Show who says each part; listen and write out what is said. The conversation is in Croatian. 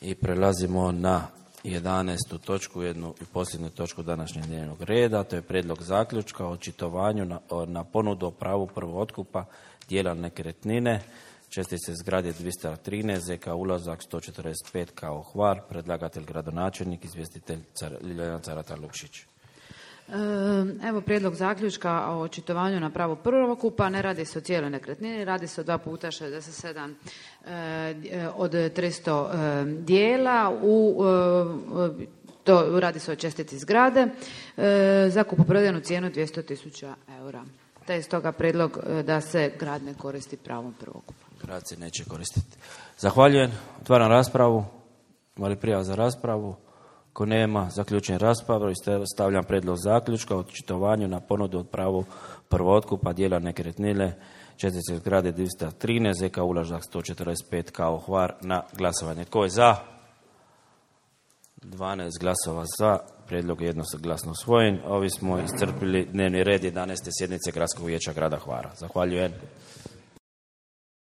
Speaker 1: I prelazimo na 11. točku, jednu i posljednju točku današnjeg dnevnog reda. To je prijedlog zaključka o očitovanju na ponudu o pravu prvootkupa dijela nekretnine, čestice zgrade 213, ZK ulazak 145 kao Hvar, predlagatelj gradonačelnik, izvjestitelj Ljiljana Carata Lukšić.
Speaker 2: Evo prijedlog zaključka o očitovanju na pravo prvokupa. Ne radi se o cijeloj nekretnini, radi se o 2 puta 67 od 300 dijela. Radi se o čestici zgrade za kupoprodajnu cijenu 200.000 eura. Te je stoga prijedlog da se grad ne koristi pravom prvokupa.
Speaker 1: Grad se neće koristiti. Zahvaljujem. Otvaram raspravu. Ima li prijava za raspravu? Ako nema, zaključujem raspravu i stavljam prijedlog zaključka o očitovanju na ponudu od pravu prvootkupa dijela nekretnine, čestice zgrade 213, ZK ulazak 145 kao Hvar na glasovanje. Tko je za? 12 glasova za. Prijedlog je jednoglasno usvojen. Ovi smo iscrpili dnevni red 11. sjednice Gradskog vijeća grada Hvara. Zahvaljujem.